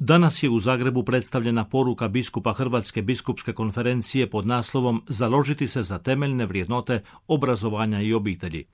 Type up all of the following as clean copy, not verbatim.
Danas je u Zagrebu predstavljena poruka biskupa Hrvatske biskupske konferencije pod naslovom Založiti se za temeljne vrijednote obrazovanja i obitelji.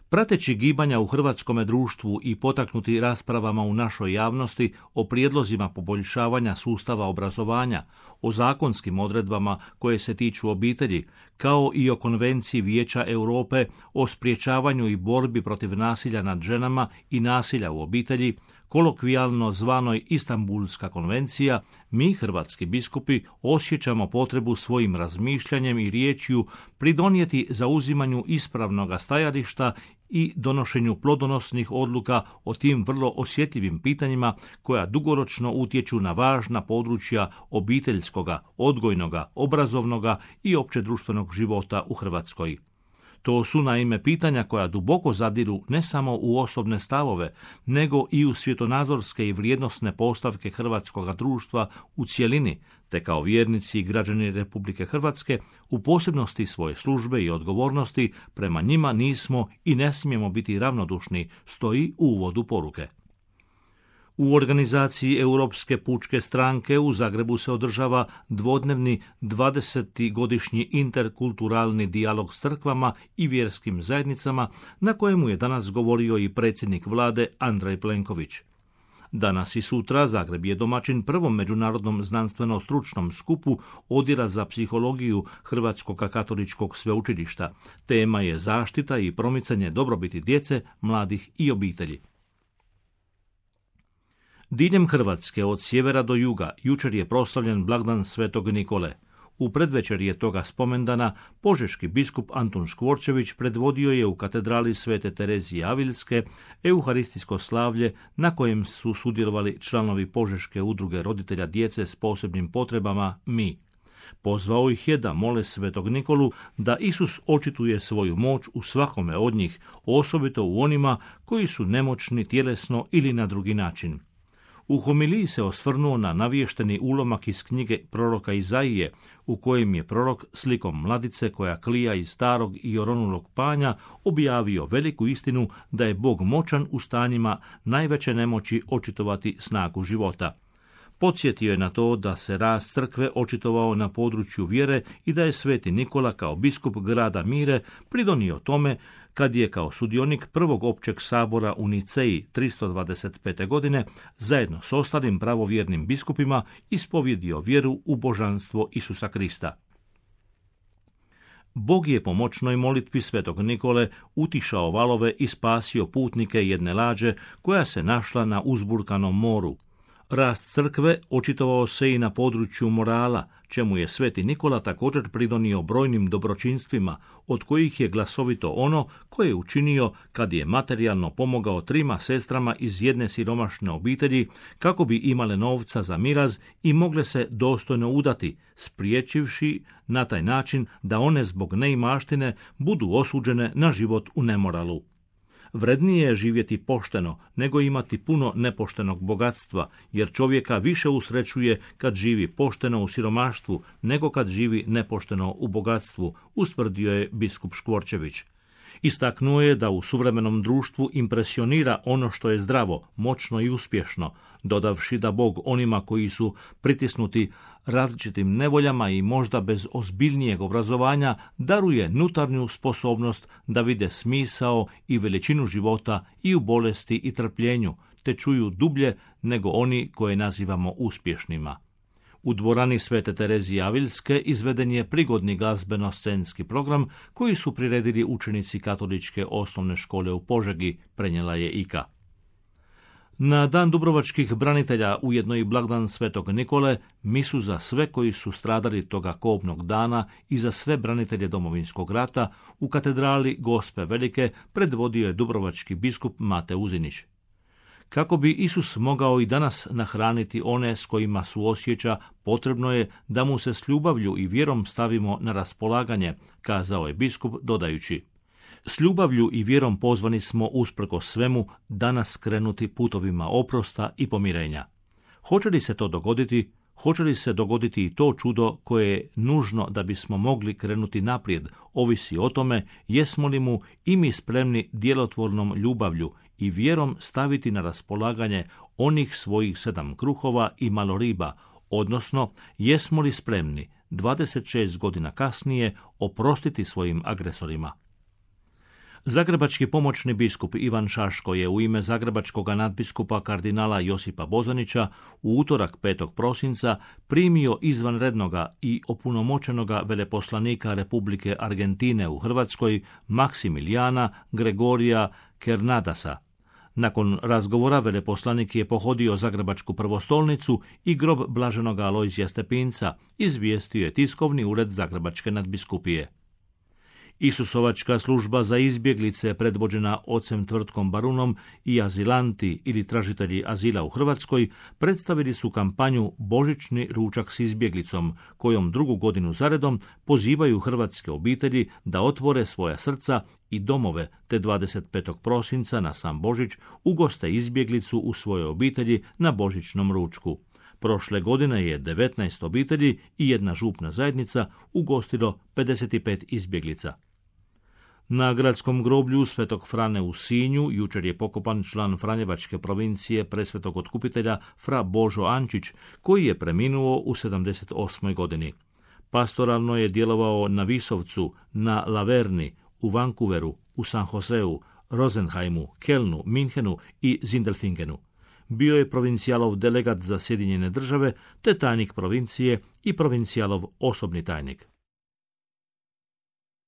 Prateći gibanja u hrvatskome društvu i potaknuti raspravama u našoj javnosti o prijedlozima poboljšavanja sustava obrazovanja, o zakonskim odredbama koje se tiču obitelji, kao i o Konvenciji Vijeća Europe o sprječavanju i borbi protiv nasilja nad ženama i nasilja u obitelji, kolokvijalno zvanoj Istanbulska konvencija, mi, hrvatski biskupi, osjećamo potrebu svojim razmišljanjem i riječju pridonijeti zauzimanju ispravnoga stajališta i donošenju plodonosnih odluka o tim vrlo osjetljivim pitanjima koja dugoročno utječu na važna područja obiteljskoga, odgojnoga, obrazovnoga i općedruštvenog života u Hrvatskoj. To su naime pitanja koja duboko zadiru ne samo u osobne stavove, nego i u svjetonazorske i vrijednosne postavke hrvatskoga društva u cjelini, te kao vjernici i građani Republike Hrvatske u posebnosti svoje službe i odgovornosti prema njima nismo i ne smijemo biti ravnodušni, stoji u uvodu poruke. U organizaciji Europske pučke stranke u Zagrebu se održava dvodnevni 20. godišnji interkulturalni dijalog s crkvama i vjerskim zajednicama, na kojemu je danas govorio i predsjednik vlade Andrej Plenković. Danas i sutra Zagreb je domaćin prvom međunarodnom znanstveno-stručnom skupu Odjela za psihologiju Hrvatskog katoličkog sveučilišta. Tema je zaštita i promicanje dobrobiti djece, mladih i obitelji. Diljem Hrvatske od sjevera do juga jučer je proslavljen blagdan Svetog Nikole. U predvečerje toga spomendana požeški biskup Antun Škvorčević predvodio je u katedrali Svete Terezije Avilske euharistijsko slavlje na kojem su sudjelovali članovi Požeške udruge roditelja djece s posebnim potrebama Mi. Pozvao ih je da mole Svetog Nikolu da Isus očituje svoju moć u svakome od njih, osobito u onima koji su nemoćni tjelesno ili na drugi način. U homiliji se osvrnuo na navješteni ulomak iz knjige proroka Izaije, u kojem je prorok slikom mladice koja klija iz starog i oronulog panja objavio veliku istinu da je Bog moćan u stanjima najveće nemoći očitovati snagu života. Podsjetio je na to da se rast crkve očitovao na području vjere i da je Sveti Nikola kao biskup grada Mire pridonio tome kad je kao sudionik prvog općeg sabora u Niceji 325. godine zajedno s ostalim pravovjernim biskupima ispovjedio vjeru u božanstvo Isusa Krista. Bog je po moćnoj molitvi Svetog Nikole utišao valove i spasio putnike jedne lađe koja se našla na uzburkanom moru. Rast crkve očitovao se i na području morala, čemu je Sveti Nikola također pridonio brojnim dobročinstvima, od kojih je glasovito ono koje je učinio kad je materijalno pomogao 3 sestrama iz jedne siromašne obitelji kako bi imale novca za miraz i mogle se dostojno udati, spriječivši na taj način da one zbog neimaštine budu osuđene na život u nemoralu. Vrednije je živjeti pošteno nego imati puno nepoštenog bogatstva, jer čovjeka više usrećuje kad živi pošteno u siromaštvu nego kad živi nepošteno u bogatstvu, ustvrdio je biskup Škvorčević. Istaknuo je da u suvremenom društvu impresionira ono što je zdravo, moćno i uspješno, dodavši da Bog onima koji su pritisnuti različitim nevoljama i možda bez ozbiljnijeg obrazovanja daruje unutarnju sposobnost da vide smisao i veličinu života i u bolesti i trpljenju, te čuju dublje nego oni koje nazivamo uspješnima. U dvorani Svete Terezije Avilske izveden je prigodni glazbeno-scenski program koji su priredili učenici Katoličke osnovne škole u Požegi, prenijela je IKA. Na dan dubrovačkih branitelja, ujedno i blagdan Svetog Nikole, misu za sve koji su stradali toga kobnog dana i za sve branitelje Domovinskog rata u katedrali Gospe Velike predvodio je dubrovački biskup Mate Uzinić. Kako bi Isus mogao i danas nahraniti one s kojima suosjeća, potrebno je da mu se s ljubavlju i vjerom stavimo na raspolaganje, kazao je biskup dodajući: s ljubavlju i vjerom pozvani smo usprkos svemu danas krenuti putovima oprosta i pomirenja. Hoće li se to dogoditi? Hoće li se dogoditi i to čudo koje je nužno da bismo mogli krenuti naprijed, ovisi o tome jesmo li mu i mi spremni djelotvornom ljubavlju i vjerom staviti na raspolaganje onih svojih 7 kruhova i malo riba, odnosno jesmo li spremni 26 godina kasnije oprostiti svojim agresorima. Zagrebački pomoćni biskup Ivan Šaško je u ime zagrebačkog nadbiskupa kardinala Josipa Bozanića u utorak 5. prosinca primio izvanrednoga i opunomoćenoga veleposlanika Republike Argentine u Hrvatskoj Maksimilijana Gregorija Kernadasa. Nakon razgovora veleposlanik je pohodio Zagrebačku prvostolnicu i grob blaženoga Alojzija Stepinca, izvijestio je tiskovni ured Zagrebačke nadbiskupije. Isusovačka služba za izbjeglice, predvođena ocem Tvrtkom Barunom, i azilanti ili tražitelji azila u Hrvatskoj predstavili su kampanju Božićni ručak s izbjeglicom, kojom drugu godinu zaredom pozivaju hrvatske obitelji da otvore svoja srca i domove, te 25. prosinca na sam Božić ugoste izbjeglicu u svojoj obitelji na božićnom ručku. Prošle godine je 19 obitelji i jedna župna zajednica ugostilo 55 izbjeglica. Na gradskom groblju Svetog Frane u Sinju jučer je pokopan član Franjevačke provincije Presvetog otkupitelja Fra Božo Ančić, koji je preminuo u 78. godini. Pastoralno je djelovao na Visovcu, na Laverni, u Vancouveru, u San Joseu, Rosenheimu, Kelnu, Minhenu i Zindelfingenu. Bio je provincijalov delegat za Sjedinjene države, te tajnik provincije i provincijalov osobni tajnik.